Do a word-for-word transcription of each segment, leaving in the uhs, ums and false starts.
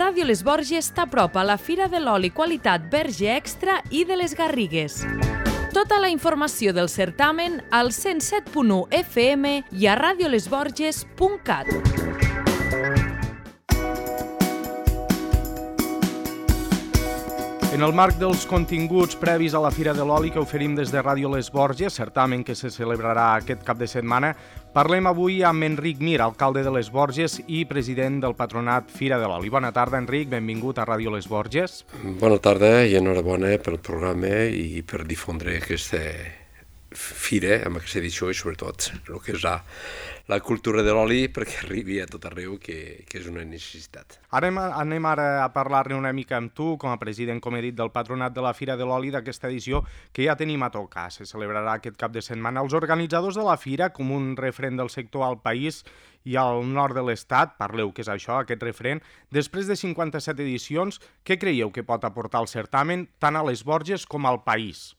Ràdio Les Borges t'apropa a la Fira de l'Oli Qualitat Verge Extra i de les Garrigues. Tota la informació del certamen al cent set punt u F M i a radiolesborges punt cat. En el marc dels continguts previs a la Fira de l'Oli que oferim des de Ràdio Les Borges, certamen que se celebrarà aquest cap de setmana, parlem avui amb Enric Mir, alcalde de Les Borges i president del patronat Fira de l'Oli. Bona tarda, Enric, benvingut a Ràdio Les Borges. Bona tarda i enhorabona pel programa i per difondre aquesta fira, amb aquesta edició i sobretot el que és la, la cultura de l'oli perquè arribi a tot arreu, que, que és una necessitat. Ara anem, anem ara a parlar-ne una mica amb tu, com a president, com he dit, del patronat de la Fira de l'Oli d'aquesta edició que ja tenim a tocar. Se celebrarà aquest cap de setmana. Els organitzadors de la fira, com un referent del sector al país i al nord de l'estat, parleu què és això, aquest referent, després de cinquanta-set edicions, què creieu que pot aportar el certamen tant a Les Borges com al país?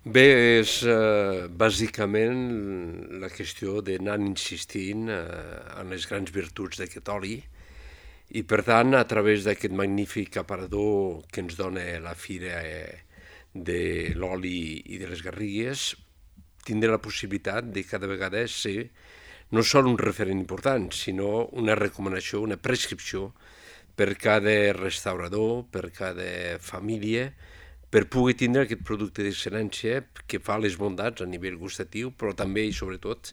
Bé, és eh, bàsicament la qüestió d'anar insistint eh, en les grans virtuts d'aquest oli i, per tant, a través d'aquest magnífic aparador que ens dona la Fira eh, de l'Oli i de les Garrigues, tindre la possibilitat de cada vegada ser no sol un referent important, sinó una recomanació, una prescripció per cada restaurador, per cada família, per poder tindre aquest producte d'excel·lència que fa les bondats a nivell gustatiu, però també i sobretot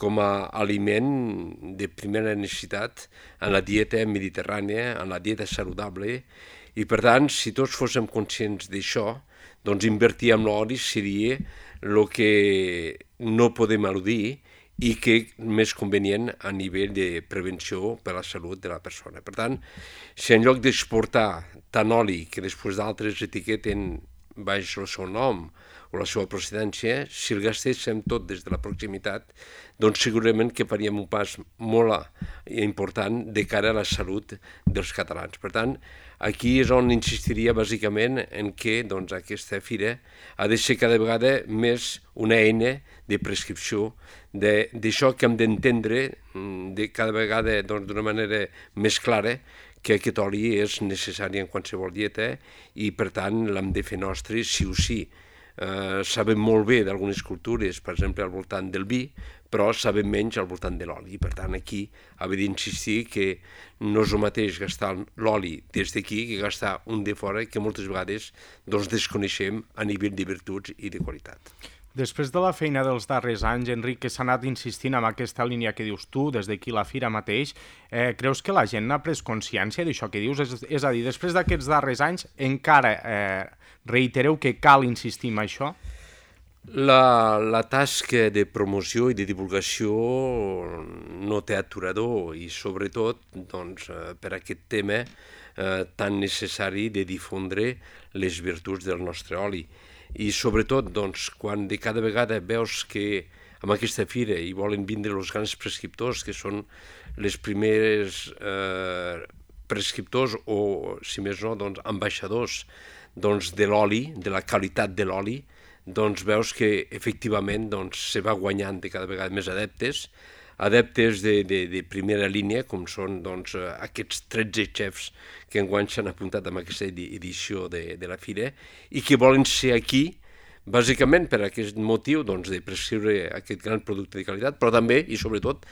com a aliment de primera necessitat en la dieta mediterrània, en la dieta saludable, i per tant, si tots fóssim conscients d'això, doncs invertir en l'oli seria el que no podem eludir i que és més convenient a nivell de prevenció per a la salut de la persona. Per tant, si en lloc d'exportar tant oli que després d'altres etiqueten baix el seu nom o la seva procedència, si el gastéssim tot des de la proximitat, doncs segurament que faríem un pas molt important de cara a la salut dels catalans. Per tant, aquí és on insistiria bàsicament en què doncs, aquesta fira ha de ser cada vegada més una eina de prescripció d'això que hem d'entendre de cada vegada doncs, d'una manera més clara, que aquest oli és necessari en qualsevol dieta i, per tant, l'hem de fer nostre sí o sí. Eh, sabem molt bé d'algunes cultures, per exemple, al voltant del vi, però sabem menys al voltant de l'oli. Per tant, aquí haver d'insistir que no és el mateix gastar l'oli des d'aquí que gastar un de fora, que moltes vegades doncs, desconeixem a nivell de virtuts i de qualitat. Després de la feina dels darrers anys, Enric, que s'ha anat insistint en aquesta línia que dius tu, des d'aquí la Fira mateix, eh, creus que la gent n'ha pres consciència d'això que dius? És, és a dir, després d'aquests darrers anys, encara eh, reitereu que cal insistir en això? La, la tasca de promoció i de divulgació no té aturador i, sobretot, doncs, per aquest tema eh, tan necessari de difondre les virtuts del nostre oli. I sobretot, doncs, quan de cada vegada veus que amb aquesta fira hi volen vindre els grans prescriptors, que són les primeres eh, prescriptors o, si més no, doncs, ambaixadors doncs, de l'oli, de la qualitat de l'oli, doncs veus que efectivament doncs, se va guanyant de cada vegada més adeptes, adeptes de, de, de primera línia, com són doncs, aquests tretze xefs que enguany s'han apuntat en aquesta edició de, de la fira i que volen ser aquí, bàsicament per aquest motiu doncs, de prescriure aquest gran producte de qualitat, però també i sobretot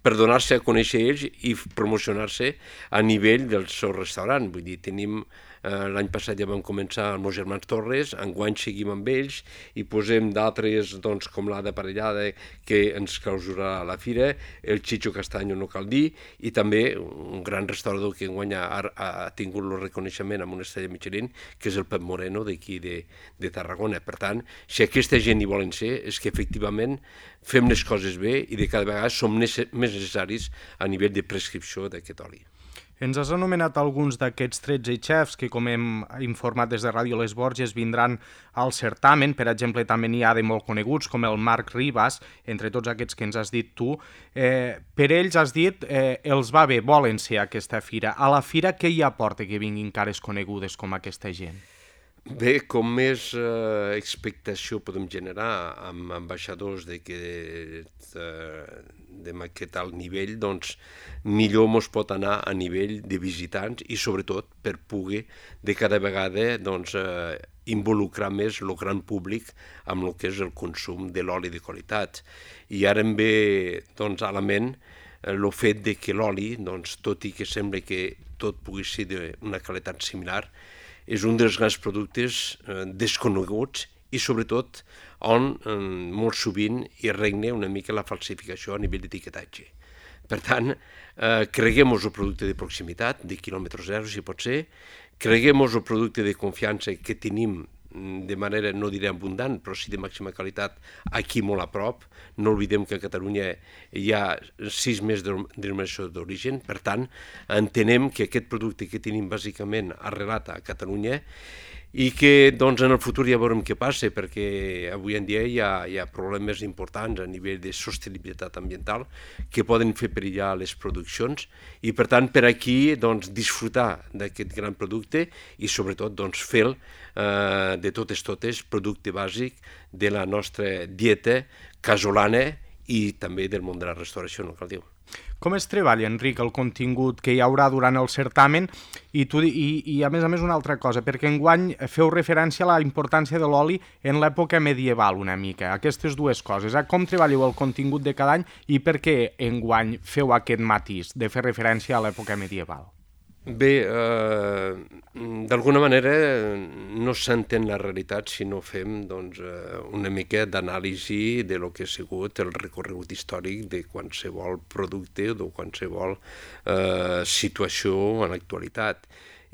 per donar-se a conèixer ells i promocionar-se a nivell del seu restaurant. Vull dir, tenim eh, l'any passat ja vam començar amb els germans Torres, enguany seguim amb ells i posem d'altres doncs, com l'Ada Parellada que ens clausurarà a la fira, el Chicho Castaño no cal dir, i també un gran restaurador que enguany ha, ha tingut el reconeixement amb una estrella Michelin, que és el Pep Moreno d'aquí de, de Tarragona. Per tant, si aquesta gent hi volen ser, és que efectivament fem les coses bé i de cada vegada som més necessaris a nivell de prescripció d'aquest oli. Ens has anomenat alguns d'aquests tretze xefs que, com hem informat des de Ràdio Les Borges, vindran al certamen. Per exemple, també n'hi ha de molt coneguts, com el Marc Ribas, entre tots aquests que ens has dit tu. Eh, per ells, has dit, eh, els va bé, volen ser a aquesta fira. A la fira, què hi aporta que vinguin cares conegudes com aquesta gent? Bé, com més eh, expectació podem generar amb ambaixadors d'aquest eh, alt nivell, doncs millor mos pot anar a nivell de visitants i sobretot per poder de cada vegada doncs, eh, involucrar més el gran públic amb el que és el consum de l'oli de qualitat. I ara em ve doncs, a la ment el fet de que l'oli, doncs, tot i que sembla que tot pugui ser d'una qualitat similar, és un dels grans productes eh, desconeguts i sobretot on eh, molt sovint hi regna una mica la falsificació a nivell d'etiquetatge. Per tant, eh, creguem-nos el producte de proximitat, de quilòmetre zero si pot ser, creguem-nos el producte de confiança que tenim de manera, no diré abundant, però sí de màxima qualitat, aquí molt a prop. No oblidem que a Catalunya hi ha sis mesos de denominació d'origen, per tant, entenem que aquest producte que tenim bàsicament arrelat a Catalunya i que doncs, en el futur ja veurem què passa, perquè avui en dia hi ha, hi ha problemes importants a nivell de sostenibilitat ambiental que poden fer perillar les produccions i, per tant, per aquí doncs, disfrutar d'aquest gran producte i, sobretot, doncs, fer-lo eh, de totes totes producte bàsic de la nostra dieta casolana i també del món de la restauració, no cal dir-ho. Com es treballa, Enric, el contingut que hi haurà durant el certamen? I, tu, i, i a més a més una altra cosa, perquè enguany feu referència a la importància de l'oli en l'època medieval una mica, aquestes dues coses. Eh? Com treballeu el contingut de cada any i per què enguany feu aquest matís de fer referència a l'època medieval? Bé, eh, d'alguna manera no s'entén la realitat si no fem doncs, una mica d'anàlisi de lo que ha sigut el recorregut històric de qualsevol producte o de qualsevol eh, situació en l'actualitat.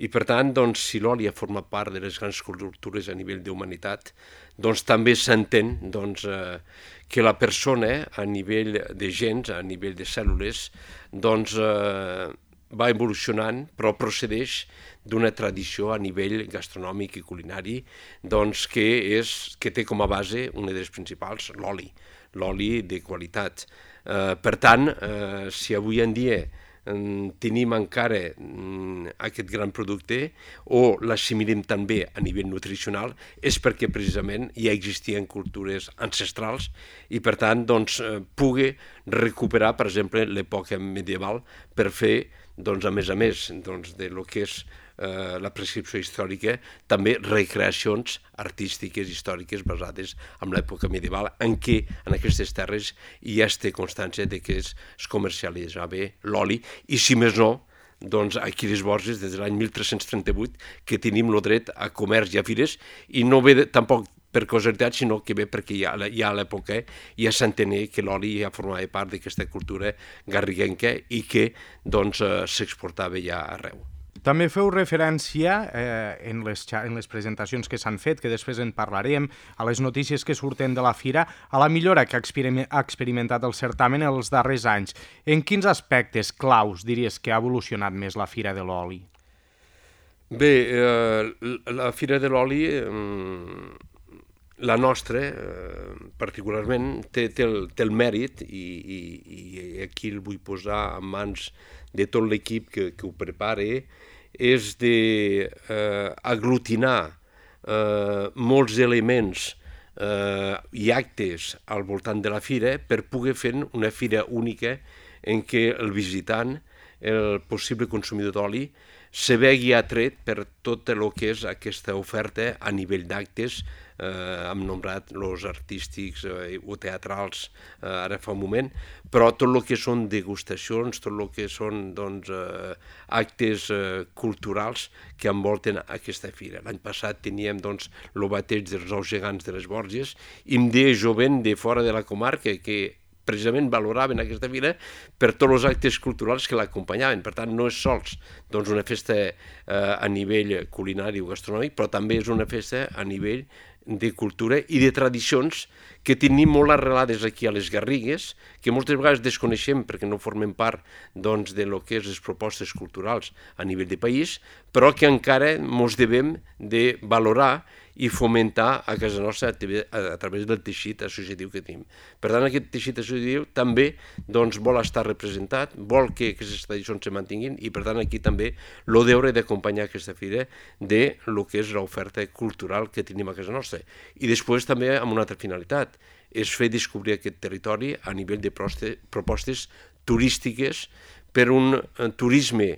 I per tant, doncs, si l'oli ha format part de les grans cultures a nivell d'humanitat, doncs també s'entén doncs, eh, que la persona a nivell de gens, a nivell de cèl·lules, doncs, eh, va evolucionant, però procedeix d'una tradició a nivell gastronòmic i culinari doncs, que, és, que té com a base una de les principals, l'oli, l'oli de qualitat. Eh, per tant, eh, si avui en dia eh, tenim encara eh, aquest gran producte o l'assimilem també a nivell nutricional, és perquè precisament ja existien cultures ancestrals i per tant doncs, eh, pugui recuperar, per exemple, l'època medieval per fer doncs, a més a més doncs, de lo que és eh, la prescripció històrica, també recreacions artístiques històriques basades en l'època medieval, en què en aquestes terres ja es té constància de que es, es comercialitzava l'oli, i si més no, doncs aquí a les Borges, des de l'any mil tres-cents trenta-vuit, que tenim el dret a comerç i a fires, i no ve de, tampoc per casualitat, sinó que bé perquè ja, ja a l'època ja s'entenia que l'oli ja formava part d'aquesta cultura garriguenca i que doncs, eh, s'exportava ja arreu. També feu referència eh, en, les, en les presentacions que s'han fet, que després en parlarem, a les notícies que surten de la fira, a la millora que ha experimentat el certamen en els darrers anys. En quins aspectes claus diries que ha evolucionat més la Fira de l'Oli? Bé, eh, la Fira de l'Oli... Eh, la nostra, eh, particularment, té, té, el, té el mèrit, i, i, i aquí el vull posar en mans de tot l'equip que, que ho prepara, és d'aglutinar eh, eh, molts elements eh, i actes al voltant de la fira per poder fer una fira única en què el visitant, el possible consumidor d'oli, se vegi atret per tot el que és aquesta oferta a nivell d'actes. Eh, hem nombrat els artístics eh, o teatrals eh, ara fa un moment, però tot el que són degustacions, tot el que són doncs, eh, actes eh, culturals que envolten aquesta fira. L'any passat teníem doncs, el bateig dels nous gegants de les Borges, i em deia jovent de fora de la comarca que precisament valoraven aquesta fira per tots els actes culturals que l'acompanyaven. Per tant, no és sols doncs, una festa eh, a nivell culinari o gastronòmic, però també és una festa a nivell de cultura i de tradicions que tenim molt arrelades aquí a les Garrigues, que moltes vegades desconeixem perquè no formen part doncs, de lo que és les propostes culturals a nivell de país, però que encara ens devem de valorar i fomentar a casa nostra a través del teixit associatiu que tenim. Per tant, aquest teixit associatiu també doncs, vol estar representat, vol que aquestes tradicions se mantinguin i, per tant, aquí també el deure d'acompanyar aquesta fira de lo que és l'oferta cultural que tenim a casa nostra. I després també amb una altra finalitat, és fer descobrir aquest territori a nivell de propostes turístiques per un turisme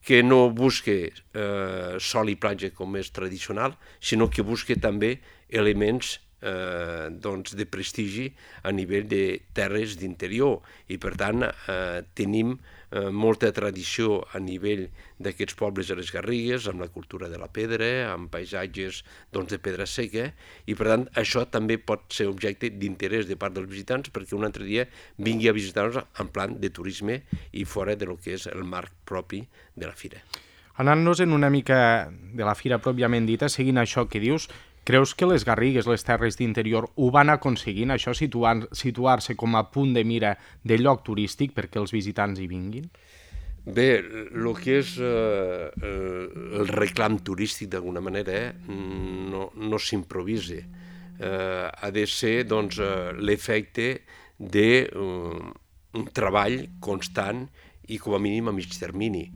que no busque eh, sol i platja com és tradicional, sinó que busque també elements eh, doncs de prestigi a nivell de terres d'interior. I per tant eh, tenim eh, molta tradició a nivell d'aquests pobles de les Garrigues, amb la cultura de la pedra, amb paisatges doncs, de pedra seca, i per tant això també pot ser objecte d'interès de part dels visitants perquè un altre dia vingui a visitar-nos en plan de turisme i fora de lo que és el marc propi de la fira. Anant-nos en una mica de la fira pròpiament dita, seguint això que dius, creus que les Garrigues, les terres d'interior, ho van aconseguint, això, situar, situar-se com a punt de mira de lloc turístic perquè els visitants hi vinguin? Bé, el que és eh, el reclam turístic d'alguna manera eh, no, no s'improvisa. Eh, ha de ser doncs, l'efecte d'un uh, treball constant i com a mínim a mig termini.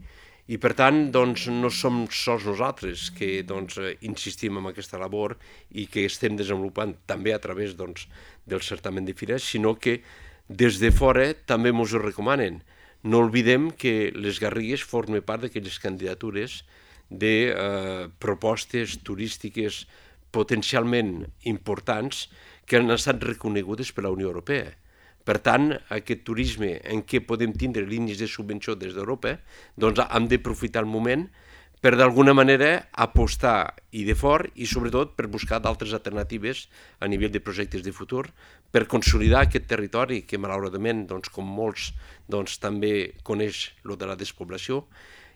I per tant doncs, no som sols nosaltres que doncs, insistim en aquesta labor i que estem desenvolupant també a través doncs, del certamen de fires, sinó que des de fora també ens ho recomanen. No oblidem que les Garrigues formen part d'aquelles candidatures de eh, propostes turístiques potencialment importants que han estat reconegudes per la Unió Europea. Per tant, aquest turisme en què podem tindre línies de subvenció des d'Europa, doncs hem d'aprofitar el moment per d'alguna manera apostar i de fort i sobretot per buscar d'altres alternatives a nivell de projectes de futur, per consolidar aquest territori que malauradament, doncs, com molts, doncs, també coneix lo de la despoblació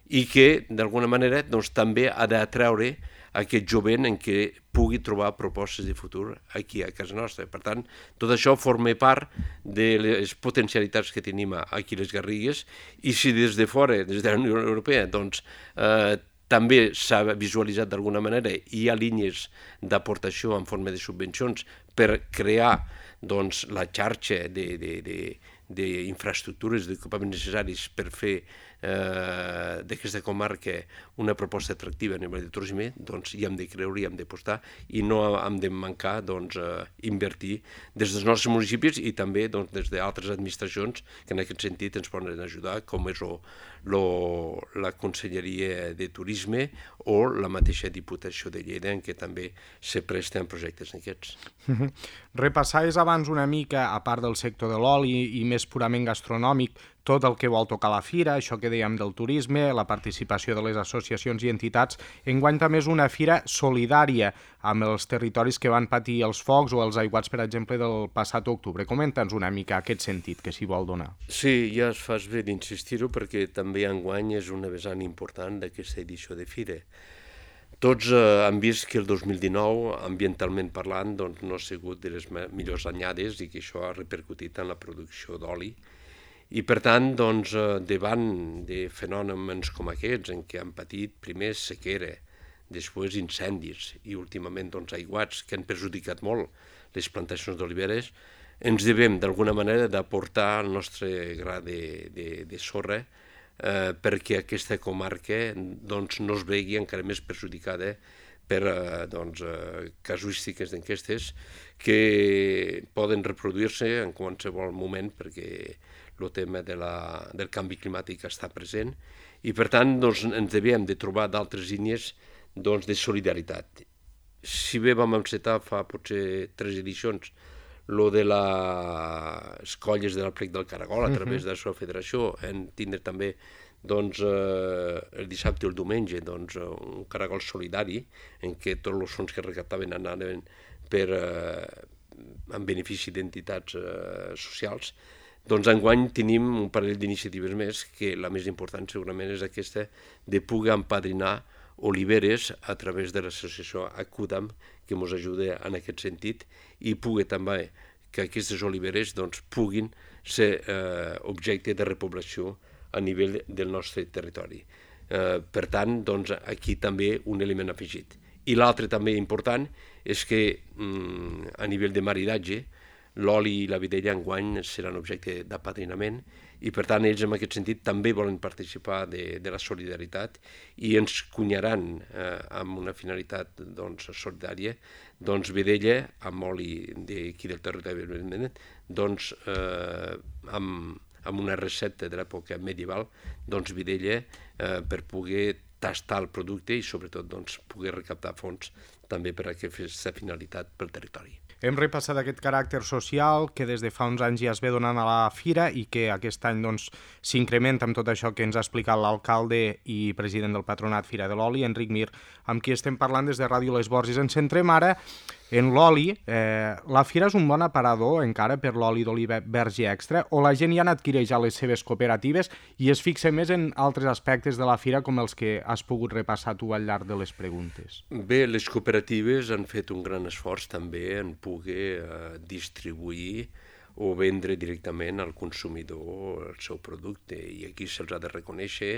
i que d'alguna manera doncs, també ha d'atreure aquest jovent en què pugui trobar propostes de futur aquí a casa nostra. Per tant, tot això forma part de les potencialitats que tenim aquí a les Garrigues i si des de fora, des de la Unió Europea, doncs, eh, també s'ha visualitzat d'alguna manera i hi ha línies d'aportació en forma de subvencions per crear doncs, la xarxa de, de, de, d'infraestructures, d'equipaments necessaris per fer eh, d'aquesta comarca una proposta atractiva a nivell de turisme, doncs hi hem de creure, hi hem d'apostar i no hem de mancar doncs, eh, invertir des dels nostres municipis i també doncs, des d'altres administracions que en aquest sentit ens poden ajudar, com és o, lo, la Conselleria de Turisme o la mateixa Diputació de Lleida, en què també se presten projectes d'aquests. Repassaves abans una mica, a part del sector de l'oli i més purament gastronòmic, tot el que vol tocar la fira, això que dèiem del turisme, la participació de les associacions i entitats. Enguany també és una fira solidària amb els territoris que van patir els focs o els aiguats, per exemple, del passat octubre. Comenta'ns una mica aquest sentit que s'hi vol donar. Sí, ja es fas bé d'insistir-ho perquè també enguany és una vessant important d'aquesta edició de fira. Tots eh, han vist que el dos mil dinou, ambientalment parlant, doncs, no ha sigut de les millors anyades i que això ha repercutit en la producció d'oli. I per tant, doncs, davant de fenòmens com aquests, en què han patit primer sequera, després incendis i últimament doncs, aiguats que han perjudicat molt les plantacions d'oliveres, ens devem d'alguna manera d'aportar el nostre gra de, de, de sorra eh, perquè aquesta comarca doncs, no es vegi encara més perjudicada per eh, doncs, eh, casuístiques d'aquestes que poden reproduir-se en qualsevol moment perquè el tema de la, del canvi climàtic està present i per tant doncs, ens devíem de trobar d'altres línies doncs, de solidaritat. Si bé vam encetar fa potser tres edicions lo de les colles del Plec del Caragol a través de la seva federació, en tindre també doncs, eh, el dissabte i el diumenge doncs, un caragol solidari en què tots els fons que recaptaven anaven per, eh, en benefici d'entitats eh, socials. Doncs enguany tenim un parell d'iniciatives més que la més important segurament és aquesta de poder empadrinar oliveres a través de l'associació Acudam, que ens ajuda en aquest sentit, i pugui també que aquestes oliveres doncs, puguin ser eh, objecte de repoblació a nivell del nostre territori. Eh, per tant, doncs, aquí també un element afegit. I l'altre també important és que mm, a nivell de maridatge l'oli i la vedella enguany seran objecte d'apadrinament i per tant ells en aquest sentit també volen participar de, de la solidaritat i ens cunyaran eh, amb una finalitat doncs, solidària doncs, vedella amb oli d'aquí del territori doncs, eh, amb, amb una recepta de l'època medieval doncs, vedella eh, per poder tastar el producte i sobretot doncs, poder recaptar fons també per a aquesta finalitat pel territori. Hem repassat aquest caràcter social que des de fa uns anys ja es ve donant a la fira i que aquest any doncs, s'incrementa amb tot això que ens ha explicat l'alcalde i president del Patronat Fira de l'Oli, Enric Mir, amb qui estem parlant des de Ràdio Les Borges. Ens centrem ara en l'oli. Eh, la fira és un bon aparador encara per l'oli d'oliva verge extra o la gent ja n'adquireix a les seves cooperatives i es fixa més en altres aspectes de la fira com els que has pogut repassar tu al llarg de les preguntes? Bé, les cooperatives han fet un gran esforç també en poder eh, distribuir o vendre directament al consumidor el seu producte i aquí se'ls ha de reconèixer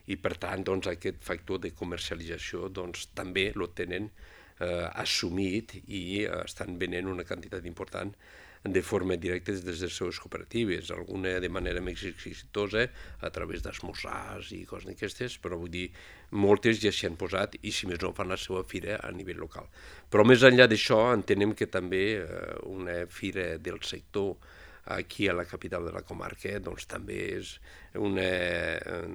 i per tant doncs, aquest factor de comercialització doncs, també lo tenen eh, assumit i eh, estan venent una quantitat important de forma directa des de les seves cooperatives, alguna de manera més exitosa a través d'esmorzars i coses d'aquestes, però vull dir, moltes ja s'hi han posat i si més no fan la seva fira a nivell local. Però més enllà d'això entenem que també eh, una fira del sector aquí a la capital de la comarca doncs també és una eh,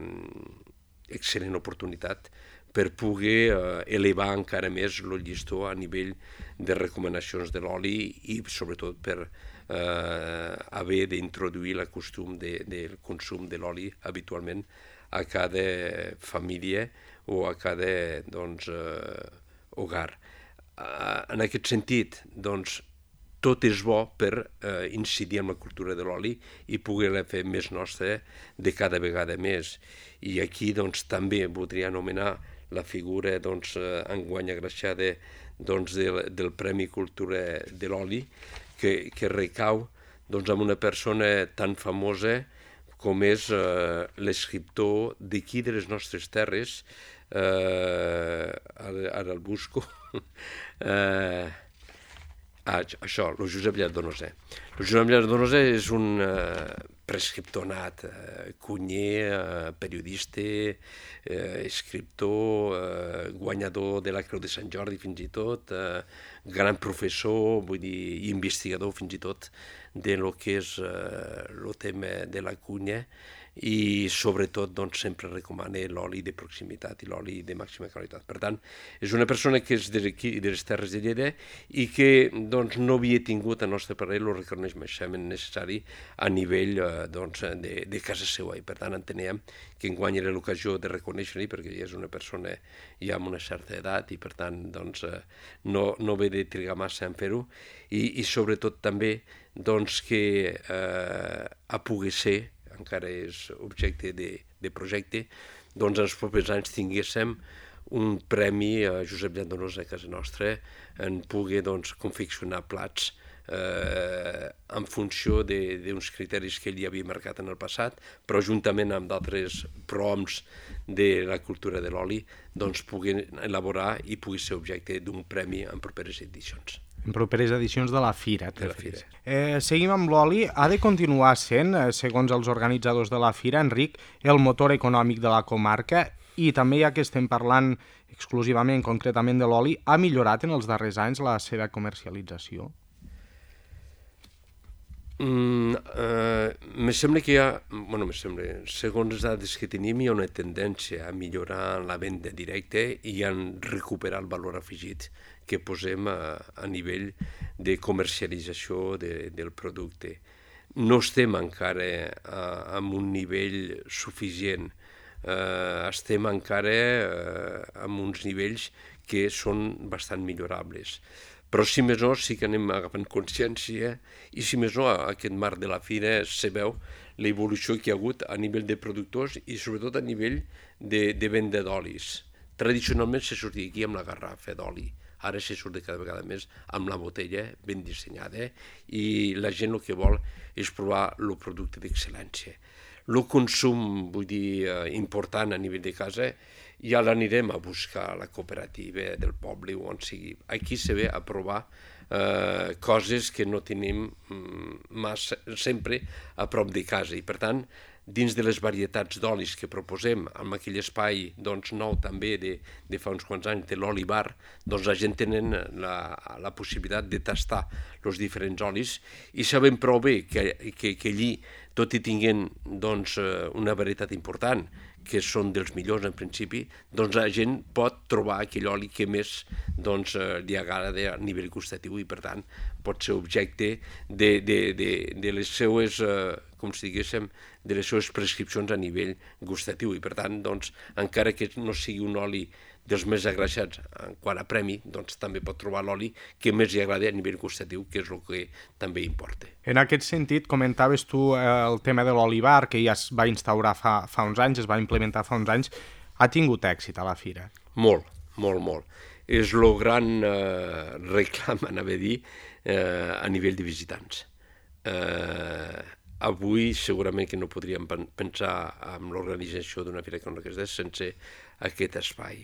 excel·lent oportunitat per poder eh, elevar encara més el llistó a nivell de recomanacions de l'oli i sobretot per eh, haver d'introduir el costum de, del consum de l'oli habitualment a cada família o a cada doncs, eh, hogar. Eh, en aquest sentit, doncs, tot és bo per eh, incidir en la cultura de l'oli i poder-la fer més nostra de cada vegada més. I aquí doncs, també voldria anomenar la figura doncs, enguany agraciada doncs, del, del Premi Cultura de l'Oli, que, que recau doncs, amb una persona tan famosa com és eh, l'escriptor d'aquí de les nostres terres, eh, ara, ara el busco, eh, ah, això, el Josep Llardonose. El Josep Llardonose és un eh, prescriptor nat, eh, cunyer, eh, periodista, eh, escriptor, eh, guanyador de la Creu de Sant Jordi fins i tot, eh, gran professor, vull dir, i investigador fins i tot de lo que és eh, el tema de la cunya i sobretot doncs, sempre recomana l'oli de proximitat i l'oli de màxima qualitat. Per tant, és una persona que és d'aquí, de les Terres de Lleida i que doncs, no havia tingut al nostre parer el reconeixement necessari a nivell eh, doncs, de, de casa seva i per tant enteníem que enguany era l'ocasió de reconèixer-li perquè ja és una persona ja amb una certa edat i per tant doncs, eh, no, no ve de trigar massa en fer-ho i, i sobretot també doncs, que eh, a poder ser encara és objecte de, de projecte, doncs en els propers anys tinguéssim un premi a Josep Llardonose a casa nostra en poder doncs, confeccionar plats eh, en funció d'uns criteris que ell ja havia marcat en el passat, però juntament amb d'altres prohoms de la cultura de l'oli, doncs pugui elaborar i pugui ser objecte d'un premi en properes edicions. En properes edicions de la fira. De la fira. Eh, seguim amb l'oli. Ha de continuar sent, eh, segons els organitzadors de la fira, Enric, el motor econòmic de la comarca i també, ja que estem parlant exclusivament, concretament de l'oli, ha millorat en els darrers anys la seva comercialització? Mm, eh, me sembla que hi ha, bueno, me sembla, segons les dades que tenim, hi ha una tendència a millorar la venda directa i a recuperar el valor afegit que posem a, a nivell de comercialització de, del producte. No estem encara a, a un nivell suficient, eh, estem encara eh, amb uns nivells que són bastant millorables. Però si més no sí que anem agafant consciència i si més no a aquest marc de la fira se veu l'evolució que hi ha hagut a nivell de productors i sobretot a nivell de, de venda d'olis. Tradicionalment se sortia aquí amb la garrafa d'oli, ara se surt de cada vegada més amb la botella ben dissenyada i la gent el que vol és provar el producte d'excel·lència. El consum, vull dir, important a nivell de casa, ja l'anirem a buscar a la cooperativa del poble o on sigui. Aquí se ve a provar eh, coses que no tenim massa, sempre a prop de casa i per tant dins de les varietats d'olis que proposem amb aquell espai doncs, nou també de, de fa uns quants anys de l'oli bar, doncs la gent tenen la, la possibilitat de tastar els diferents olis i sabem prou bé que, que, que allí, tot i tinguent doncs, una varietat important, que són dels millors en principi, doncs la gent pot trobar aquell oli que més doncs, li agrada a nivell gustatiu i per tant pot ser objecte de, de, de, de les seues, com si diguéssim, de les seves prescripcions a nivell gustatiu i per tant, doncs, encara que no sigui un oli dels més agraixats en quant a premi, doncs també pot trobar l'oli que més li agrada a nivell gustatiu, que és el que també importa. En aquest sentit, comentaves tu eh, el tema de l'olivar, que ja es va instaurar fa, fa uns anys, es va implementar fa uns anys, ha tingut èxit a la fira? Molt, molt, molt. És el gran eh, reclam, anava a dir, eh, a nivell de visitants. Eh, avui segurament que no podríem pensar en l'organització d'una fira com aquesta sense aquest espai.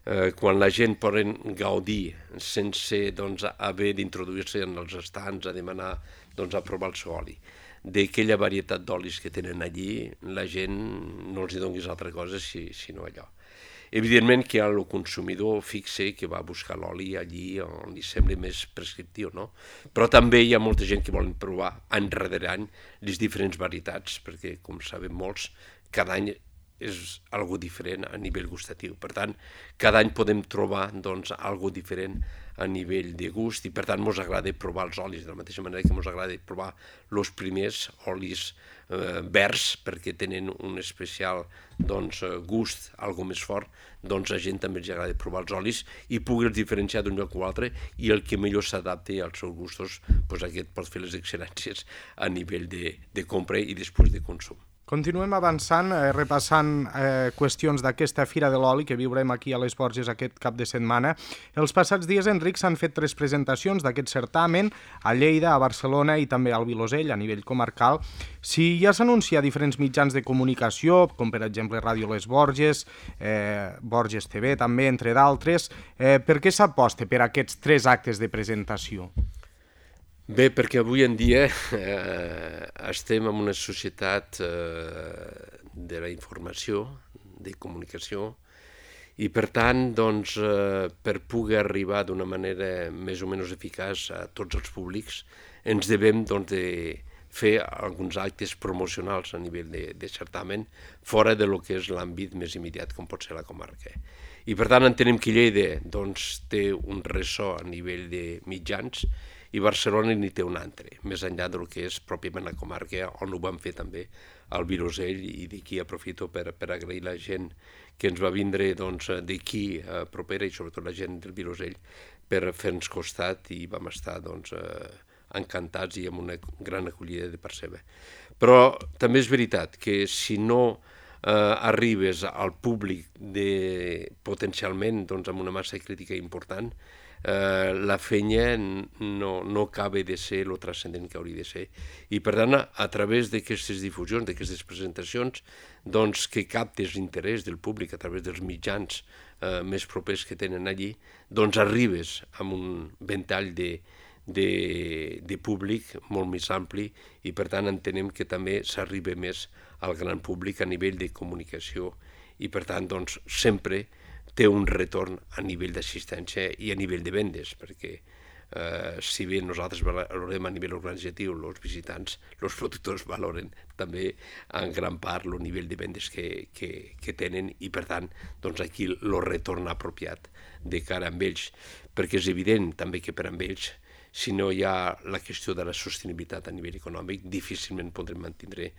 Eh, quan la gent poden gaudir sense doncs, haver d'introduir-se en els estants a demanar doncs, a provar el seu oli. D'aquella varietat d'olis que tenen allí, la gent no els hi donis altra cosa si, sinó allò. Evidentment que el consumidor fixe que va buscar l'oli allí on li sembla més prescriptiu, no? Però també hi ha molta gent que volen provar any rere any les diferents varietats, perquè, com sabem molts, cada any és algo diferent a nivell gustatiu. Per tant, cada any podem trobar doncs, algo diferent a nivell de gust i per tant ens agrada provar els olis, de la mateixa manera que ens agrada provar els primers olis eh, verds perquè tenen un especial doncs, gust, algo més fort, doncs a gent també ens agrada provar els olis i pugui diferenciar d'un lloc o altre i el que millor s'adapti als seus gustos, doncs aquest pot fer les excel·lències a nivell de, de compra i després de consum. Continuem avançant, eh, repassant eh, qüestions d'aquesta Fira de l'Oli que viurem aquí a les Borges aquest cap de setmana. Els passats dies, Enric, s'han fet tres presentacions d'aquest certamen a Lleida, a Barcelona i també al Vilosell, a nivell comarcal. Si ja s'anuncia a diferents mitjans de comunicació, com per exemple Ràdio Les Borges, eh, Borges T V també, entre d'altres, eh, per què s'aposta per aquests tres actes de presentació? Bé, perquè avui en dia eh, estem en una societat eh, de la informació, de comunicació, i per tant, doncs, eh, per poder arribar d'una manera més o menys eficaç a tots els públics, ens devem doncs, de fer alguns actes promocionals a nivell de, de certamen fora de lo que és l'àmbit més immediat, com pot ser la comarca. I per tant entenem que Lleida doncs, té un ressò a nivell de mitjans i Barcelona n'hi té un altre, més enllà del que és pròpiament la comarca, on ho vam fer també al Vilosell, i d'aquí aprofito per, per agrair la gent que ens va vindre doncs, d'aquí eh, propera, i sobretot la gent del Vilosell, per fer-nos costat, i vam estar doncs, eh, encantats i amb una gran acollida de part seva. Però també és veritat que si no eh, arribes al públic de, potencialment doncs, amb una massa crítica important, Eh, la feina no, no acaba de ser el transcendent que hauria de ser. I per tant, a través d'aquestes difusions, d'aquestes presentacions, doncs que captes l'interès del públic a través dels mitjans eh, més propers que tenen allí, doncs arribes amb un ventall de, de, de públic molt més ampli i per tant entenem que també s'arriba més al gran públic a nivell de comunicació i per tant doncs sempre té un retorn a nivell d'assistència i a nivell de vendes, perquè eh, si bé nosaltres valorem a nivell organitzatiu, els visitants, els productors valoren també en gran part el nivell de vendes que, que, que tenen i per tant doncs aquí el retorn apropiat de cara amb ells, perquè és evident també que per amb ells si no hi ha la qüestió de la sostenibilitat a nivell econòmic, difícilment podrem mantenir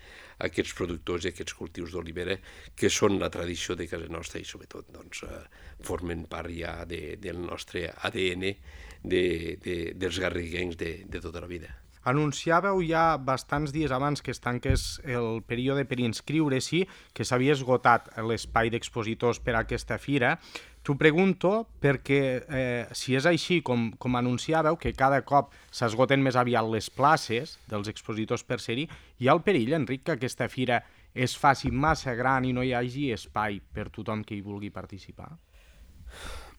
aquests productors i aquests cultius d'olivera que són la tradició de casa nostra i sobretot doncs, eh, formen part ja de, del nostre A D N de, de, dels garriguencs de, de tota la vida. Anunciàveu ja bastants dies abans que es tanqués el període per inscriure-s'hi que s'havia esgotat l'espai d'expositors per a aquesta fira. T'ho pregunto perquè eh, si és així com, com anunciàveu, que cada cop s'esgoten més aviat les places dels expositors per ser-hi, hi ha el perill, Enric, que aquesta fira es faci massa gran i no hi hagi espai per tothom que hi vulgui participar?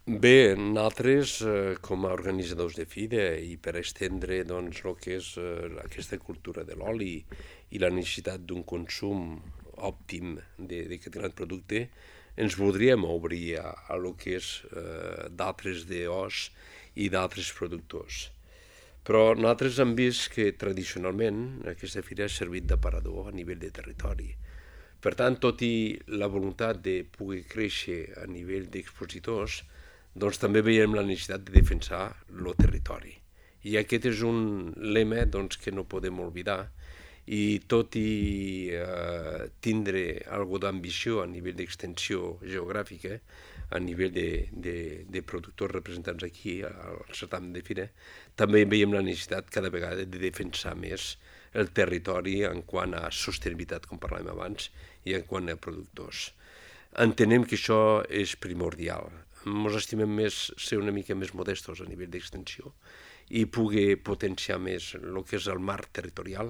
Bé, nosaltres, eh, com a organitzadors de fira i per estendre doncs, el que és eh, aquesta cultura de l'oli i la necessitat d'un consum òptim d'aquest gran producte, ens voldríem obrir a, a lo que és eh, d'altres D Os i d'altres productors. Però nosaltres hem vist que tradicionalment aquesta fira ha servit d'aparador a nivell de territori. Per tant, tot i la voluntat de poder créixer a nivell d'expositors, doncs també veiem la necessitat de defensar el territori. I aquest és un lema doncs, que no podem oblidar, i tot i eh, tindre alguna d'ambició a nivell d'extensió geogràfica, a nivell de, de, de productors representats aquí al certamen de fira, també veiem la necessitat cada vegada de defensar més el territori en quant a sostenibilitat, com parlàvem abans, i en quant a productors. Entenem que això és primordial. Ens estimem més ser una mica més modestos a nivell d'extensió i poder potenciar més el que és el marc territorial,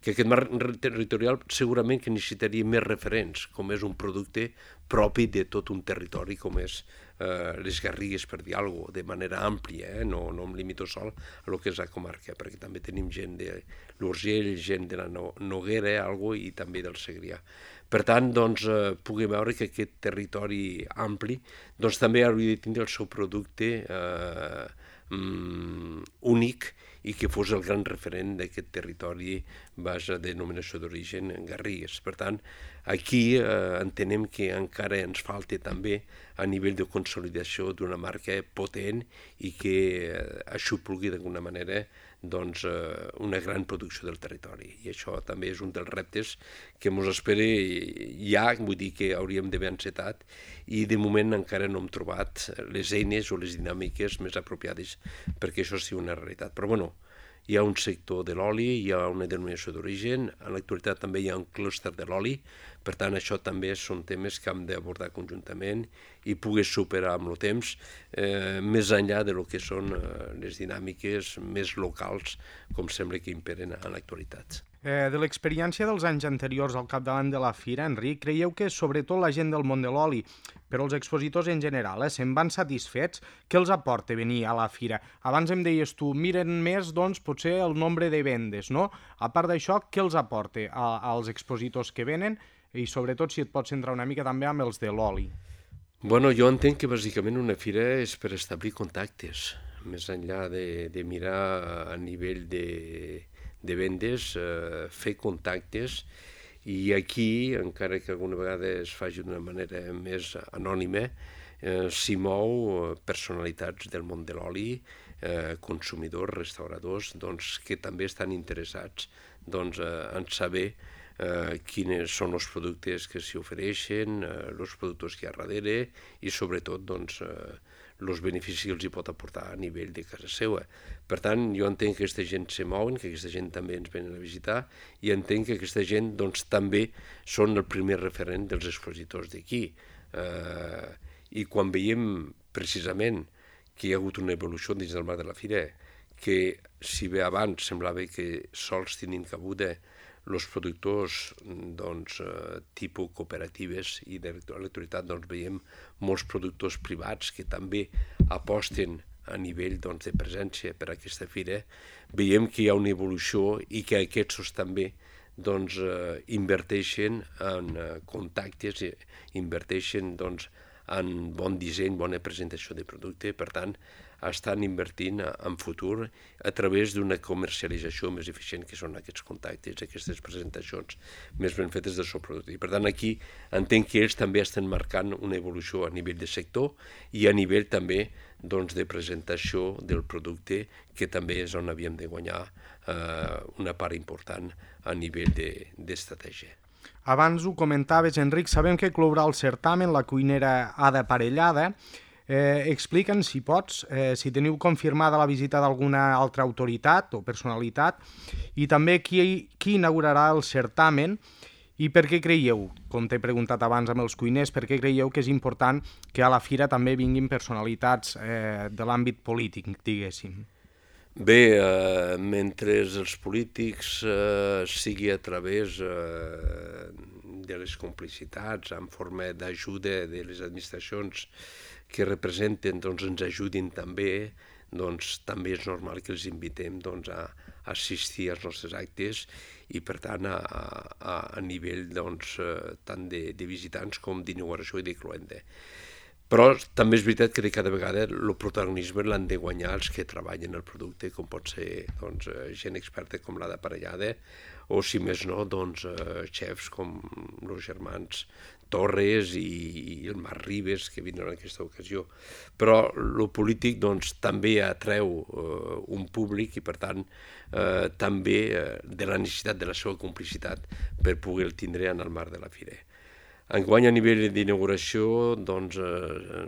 que aquest marc territorial segurament que necessitaria més referents, com és un producte propi de tot un territori, com és eh, les Garrigues, per dir alguna cosa, de manera àmplia, eh? no, no em limito sol a lo que és la comarca, perquè també tenim gent de l'Urgell, gent de la Noguera, algo, i també del Segrià. Per tant, doncs, eh, puguem veure que aquest territori ampli doncs, també hauria de tindre el seu producte eh, mm, únic i que fos el gran referent d'aquest territori base de denominació d'origen Garrigues. Per tant, aquí eh, entenem que encara ens falta també a nivell de consolidació d'una marca potent i que eh, aixoplugi d'alguna manera doncs, eh, una gran producció del territori. I això també és un dels reptes que ens espera ja, vull dir que hauríem d'haver encetat, i de moment encara no hem trobat les eines o les dinàmiques més apropiades perquè això sigui una realitat. Però bueno, hi ha un sector de l'oli, hi ha una denominació d'origen, en l'actualitat també hi ha un clúster de l'oli, per tant això també són temes que hem d'abordar conjuntament i poder superar amb el temps, eh, més enllà de lo que són eh, les dinàmiques més locals, com sembla que imperen en l'actualitat. Eh, de l'experiència dels anys anteriors al capdavant de la fira, Enric, creieu que sobretot la gent del món de l'oli, però els expositors en general, eh, se'n van satisfets? Què els aporta venir a la fira? Abans em deies tu, miren més, doncs, potser el nombre de vendes, no? A part d'això, què els aporta a, als expositors que venen? I sobretot si et pots centrar una mica també amb els de l'oli. Bueno, jo entenc que bàsicament una fira és per establir contactes, més enllà de, de mirar a nivell de, de vendes, eh, fer contactes, i aquí, encara que alguna vegada es faci d'una manera més anònima, eh, s'hi mou personalitats del món de l'oli, eh, consumidors, restauradors, doncs, que també estan interessats doncs, eh, en saber eh, quins són els productes que s'hi ofereixen, eh, els productors que hi ha darrere i sobretot doncs, eh, els beneficis que els hi pot aportar a nivell de casa seva. Per tant, jo entenc que aquesta gent se mouen, que aquesta gent també ens venen a visitar, i entenc que aquesta gent doncs, també són el primer referent dels expositors d'aquí. Eh, I quan veiem precisament que hi ha hagut una evolució dins del marc de la fira, que si bé abans semblava que sols tenien cabuda els productors doncs, eh, tipus cooperatives, i de l'actualitat doncs, veiem molts productors privats que també aposten a nivell doncs, de presència per a aquesta fira, veiem que hi ha una evolució i que aquests també doncs, eh, inverteixen en eh, contactes, inverteixen doncs, en bon disseny, bona presentació de producte, per tant, estan invertint en futur a través d'una comercialització més eficient, que són aquests contactes, aquestes presentacions més ben fetes del seu producte. I per tant, aquí entenc que ells també estan marcant una evolució a nivell de sector i a nivell també doncs, de presentació del producte, que també és on havíem de guanyar eh, una part important a nivell d'estratègia. Abans ho comentaves, Enric, sabem que clourà el certamen la cuinera Ada Parellada. Eh, Explica'ns, si pots, eh, si teniu confirmada la visita d'alguna altra autoritat o personalitat i també qui, qui inaugurarà el certamen i per què creieu, com t'he preguntat abans amb els cuiners, per què creieu que és important que a la fira també vinguin personalitats eh, de l'àmbit polític, diguéssim? Bé, eh, mentre els polítics eh, sigui a través eh, de les complicitats, en forma d'ajuda de les administracions que representen, doncs ens ajudin també, doncs també és normal que els invitem doncs, a assistir als nostres actes i per tant a, a, a nivell doncs, tant de, de visitants com d'inauguració i de cloenda. Però també és veritat que de cada vegada el protagonisme l'han de guanyar els que treballen el producte, com pot ser doncs, gent experta com la d'aparellada o si més no, doncs, xefs com els germans Torres i, i el Marc Ribes que vindran en aquesta ocasió. Però el polític doncs, també atreu eh, un públic i per tant eh, també eh, de la necessitat de la seva complicitat per poder-el tindre en el marc de la fira. Enguany a nivell d'inauguració doncs eh,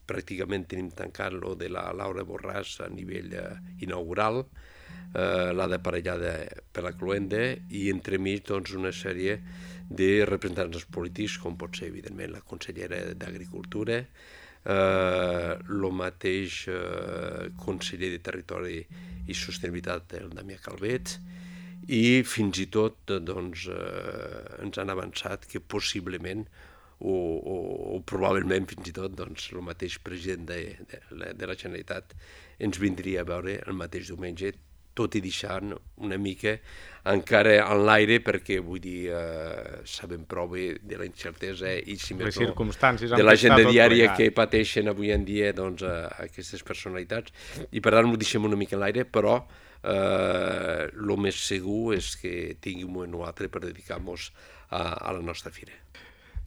pràcticament tenim tancat lo de la Laura Borràs a nivell eh, inaugural, eh, la d'aparellada per la cloenda i entremig doncs, una sèrie de representants polítics, com pot ser, evidentment, la consellera d'Agricultura, eh, el mateix eh, conseller de Territori i Sostenibilitat, el Damià Calvet, i fins i tot doncs, eh, ens han avançat que possiblement o, o, o probablement fins i tot doncs, el mateix president de, de, de la Generalitat ens vindria a veure el mateix diumenge, tot i deixant una mica encara en l'aire, perquè vull dir, eh, sabem prou bé de la incertesa i si més no, de l'agenda diària que pateixen avui en dia doncs, a, a aquestes personalitats. I per tant ho deixem una mica en l'aire, però eh, el més segur és que tinguem un moment o altre per dedicar-nos a, a la nostra fira.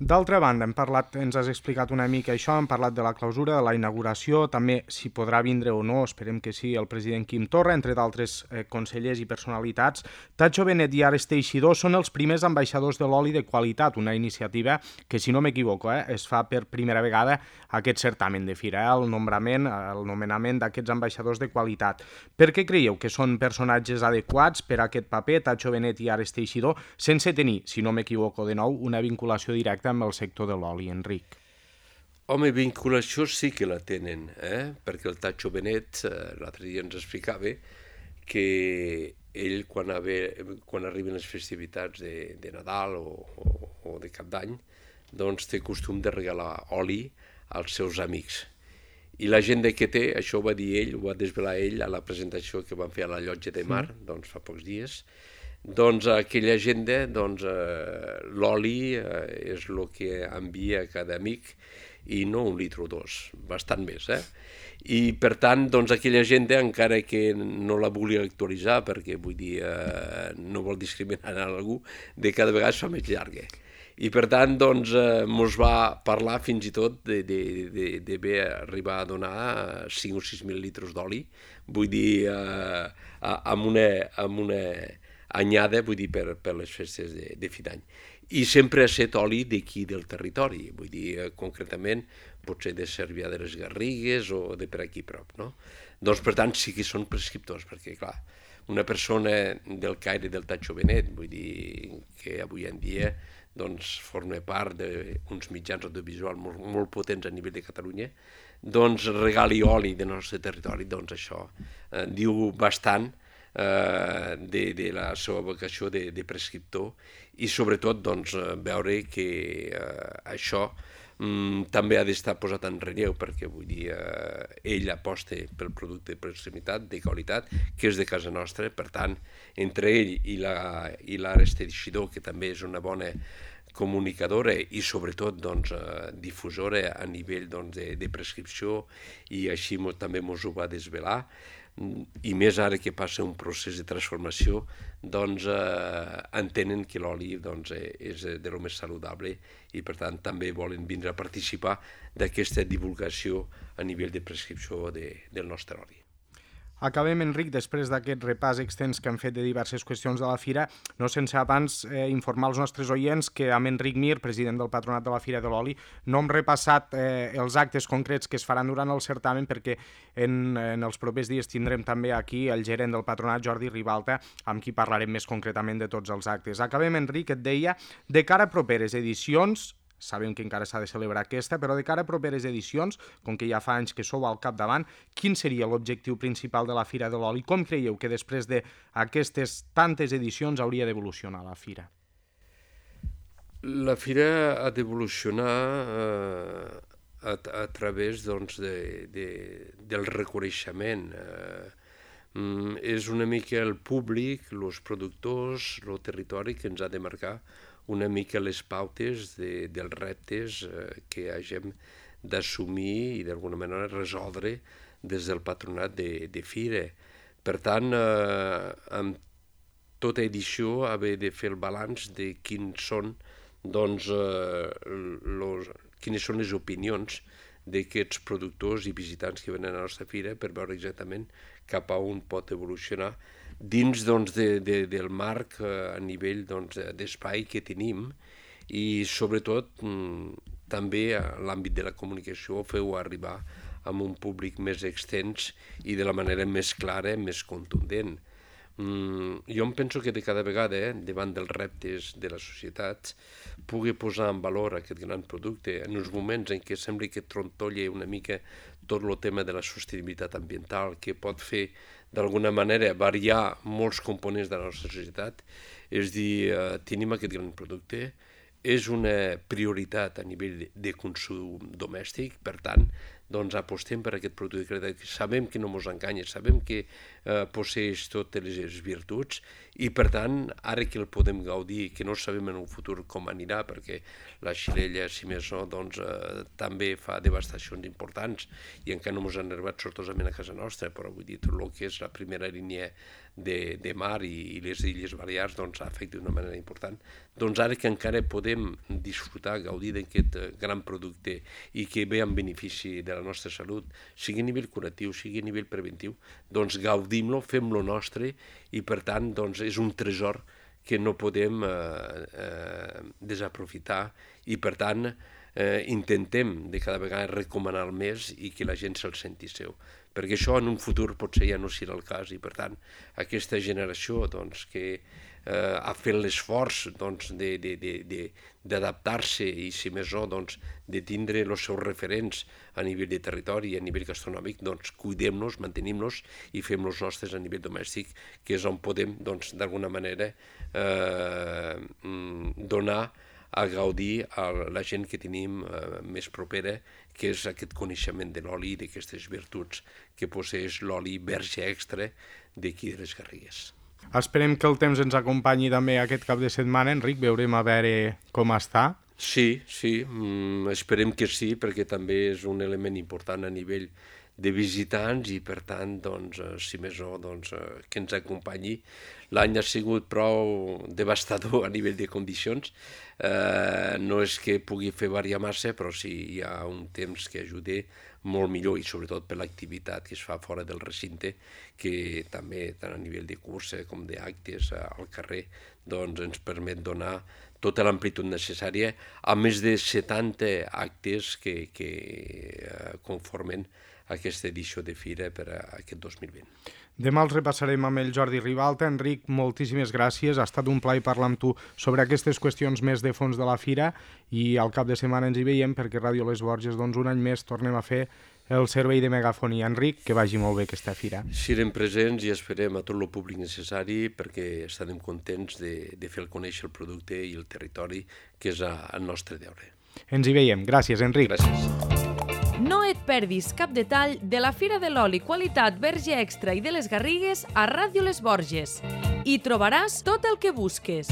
D'altra banda, hem parlat, ens has explicat una mica això, hem parlat de la clausura, de la inauguració, també si podrà vindre o no, esperem que sí, el president Quim Torra, entre d'altres eh, consellers i personalitats. Tatxo Benet i Ares Teixidor són els primers ambaixadors de l'oli de qualitat, una iniciativa que, si no m'equivoco, eh, es fa per primera vegada aquest certamen de fira, eh, el nombrament, el nomenament d'aquests ambaixadors de qualitat. Per què creieu que són personatges adequats per a aquest paper, Tatxo Benet i Ares Teixidor, sense tenir, si no m'equivoco de nou, una vinculació directa amb el sector de l'oli, Enric? Home, vinculació sí que la tenen, eh? Perquè el Tatxo Benet eh, l'altre dia ens explicava que ell, quan, ave, quan arriben les festivitats de, de Nadal o, o, o de Cap d'Any, doncs té costum de regalar oli als seus amics. I l'agenda que té, això ho va dir ell, ho va desvelar ell a la presentació que van fer a la Llotja de Mar, mm. doncs fa pocs dies. Doncs aquella agenda, doncs, eh, l'oli eh, és el que envia cada amic i no un litre o dos, bastant més, eh? I per tant, doncs, aquella agenda, encara que no la volia actualitzar, perquè vull dir, eh, no vol discriminar a algú, de cada vegada es fa més llarga. I per tant, doncs, eh, mos va parlar fins i tot de, de, de, de bé arribar a donar cinc o sis mil litres d'oli, vull dir, eh, amb una... Amb una anyada, vull dir, per, per les festes de, de fi d'any. I sempre ha estat oli d'aquí del territori, vull dir, eh, concretament, potser de Cervià de les Garrigues o de per aquí prop, no? Doncs, per tant, sí que són prescriptors, perquè, clar, una persona del caire del Tatxo Benet, vull dir, que avui en dia doncs, forma part d'uns mitjans audiovisuals molt, molt potents a nivell de Catalunya, doncs regali oli del nostre territori, doncs això eh, diu bastant Eh, de, de la seva vocació de, de prescriptor i sobretot doncs, veure que eh, això mm, també ha d'estar posat en relleu perquè vull dir, eh, ell aposta pel producte de proximitat, de qualitat, que és de casa nostra, per tant, entre ell i l'Ares Teixidor, que també és una bona comunicadora i sobretot doncs, eh, difusora a nivell doncs, de, de prescripció i així també mos ho va desvelar, i més ara que passa un procés de transformació, doncs eh, entenen que l'oli doncs, és de lo més saludable i per tant també volen vindre a participar d'aquesta divulgació a nivell de prescripció de, del nostre oli. Acabem, Enric, després d'aquest repàs extens que hem fet de diverses qüestions de la Fira, no sense abans eh, informar els nostres oients que amb Enric Mir, president del Patronat de la Fira de l'Oli, no hem repassat eh, els actes concrets que es faran durant el certamen perquè en, en els propers dies tindrem també aquí el gerent del Patronat, Jordi Ribalta, amb qui parlarem més concretament de tots els actes. Acabem, Enric, et deia, de cara a properes edicions, sabem que encara s'ha de celebrar aquesta, però de cara a properes edicions, com que ja fa anys que sou al capdavant, quin seria l'objectiu principal de la Fira de l'Oli? Com creieu que després d'aquestes tantes edicions hauria d'evolucionar la Fira? La Fira ha d'evolucionar eh, a, a través doncs, de, de, del reconeixement. Eh, mm, és una mica el públic, els productors, el territori que ens ha de marcar una mica les pautes de, dels reptes eh, que hagem d'assumir i d'alguna manera resoldre des del patronat de, de Fira. Per tant, eh, amb tota edició haver de fer el balanç de quins són, doncs, eh, los, quines són les opinions d'aquests productors i visitants que venen a la nostra fira per veure exactament cap a on pot evolucionar dins doncs, de, de, del marc eh, a nivell doncs, d'espai que tenim i sobretot mm, també a l'àmbit de la comunicació feu arribar amb un públic més extens i de la manera més clara, més contundent. Mm, jo em penso que de cada vegada, eh, davant dels reptes de la societat, pugui posar en valor aquest gran producte en uns moments en què sembla que trontolla una mica tot el tema de la sostenibilitat ambiental, que pot fer d'alguna manera variar molts components de la nostra societat, és dir, eh, tenim aquest gran producte, és una prioritat a nivell de consum domèstic, per tant, doncs apostem per aquest producte que sabem que no ens enganya, sabem que eh, posseix totes les virtuts i per tant, ara que el podem gaudir, que no sabem en un futur com anirà, perquè la xirella, si més no, doncs, eh, també fa devastacions importants i encara no ens han arribat sortosament a casa nostra, però vull dir, tot el que és la primera línia de, de mar i, i les Illes Balears doncs, afecta d'una manera important. Doncs ara que encara podem disfrutar, gaudir d'aquest gran producte i que ve en benefici de la nostra salut, sigui a nivell curatiu, sigui a nivell preventiu, doncs gaudim-lo, fem-lo nostre i per tant doncs, és un tresor que no podem eh, eh, desaprofitar i per tant eh, intentem de cada vegada recomanar-lo més i que la gent se'l senti seu. Perquè això en un futur potser ja no serà el cas i per tant aquesta generació doncs, que eh, ha fet l'esforç doncs, d'adaptar-se i si més no doncs, de tindre els seus referents a nivell de territori i a nivell gastronòmic, doncs cuidem-los, mantenim-los i fem-los nostres a nivell domèstic, que és on podem doncs, d'alguna manera eh, donar a gaudir a la gent que tenim eh, més propera, que és aquest coneixement de l'oli i d'aquestes virtuts que posseix l'oli verge extra d'aquí de les Garrigues. Esperem que el temps ens acompanyi també aquest cap de setmana, Enric, veurem a veure com està. Sí, sí, mm, esperem que sí, perquè també és un element important a nivell de visitants i per tant, doncs, si més no, doncs, que ens acompanyi. L'any ha sigut prou devastador a nivell de condicions, eh, no és que pugui fer variar massa, però sí hi ha un temps que ajuda molt millor i sobretot per l'activitat que es fa fora del recinte, que també tant a nivell de cursa com d'actes al carrer doncs, ens permet donar tota l'amplitud necessària a més de setanta actes que, que eh, conformen aquesta edició de Fira per a aquest dos mil vint. Demà els repassarem amb el Jordi Ribalta. Enric, moltíssimes gràcies. Ha estat un plaer parlar amb tu sobre aquestes qüestions més de fons de la Fira i al cap de setmana ens hi veiem perquè Ràdio Les Borges doncs, un any més tornem a fer el servei de megafonia. Enric, que vagi molt bé aquesta fira. Serem presents i esperem a tot el públic necessari perquè estarem contents de, de fer conèixer el producte i el territori, que és el nostre deure. Ens hi veiem. Gràcies, Enric. Gràcies. No et perdis cap detall de la Fira de l'Oli Qualitat Verge Extra i de les Garrigues a Ràdio Les Borges. Hi trobaràs tot el que busques.